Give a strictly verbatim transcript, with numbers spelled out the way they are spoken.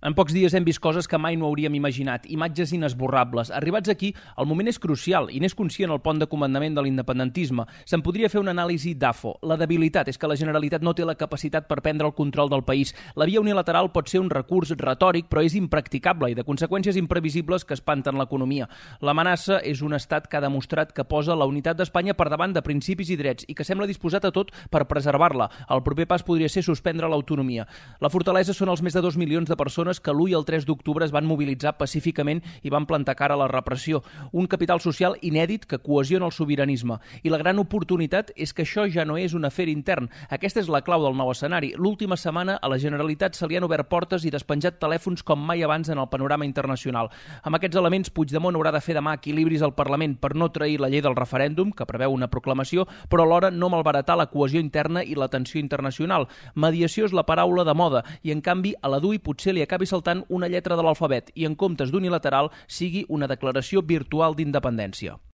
En pocs dies hem vist coses que mai no hauríem imaginat, imatges inesborrables. Arribats aquí, el moment és crucial i n'és conscient el pont de comandament de l'independentisme. Se'n podria fer una anàlisi d'A F O. La debilitat és que la Generalitat no té la capacitat per prendre el control del país. La via unilateral pot ser un recurs retòric, però és impracticable i de conseqüències imprevisibles que espanten l'economia. L'amenaça és un estat que ha demostrat que posa la unitat d'Espanya per davant de principis i drets i que sembla disposat a tot per preservar-la. El proper pas podria ser suspendre l'autonomia. La fortalesa són els més de dos milions de persones que l'u i el tres d'octubre es van mobilitzar pacíficament i van plantar cara a la repressió. Un capital social inèdit que cohesiona el sobiranisme. I la gran oportunitat és que això ja no és un afer intern. Aquesta és la clau del nou escenari. L'última setmana a la Generalitat se li han obert portes i despenjat telèfons com mai abans en el panorama internacional. Amb aquests elements, Puigdemont haurà de fer demà equilibris al Parlament per no trair la llei del referèndum, que preveu una proclamació, però alhora no malbaratar la cohesió interna i la tensió internacional. Mediació és la paraula de moda i, en canvi, a la D U I potser li acabi saltant una lletra de l'alfabet i, en comptes d'unilateral, sigui una declaració virtual d'independència.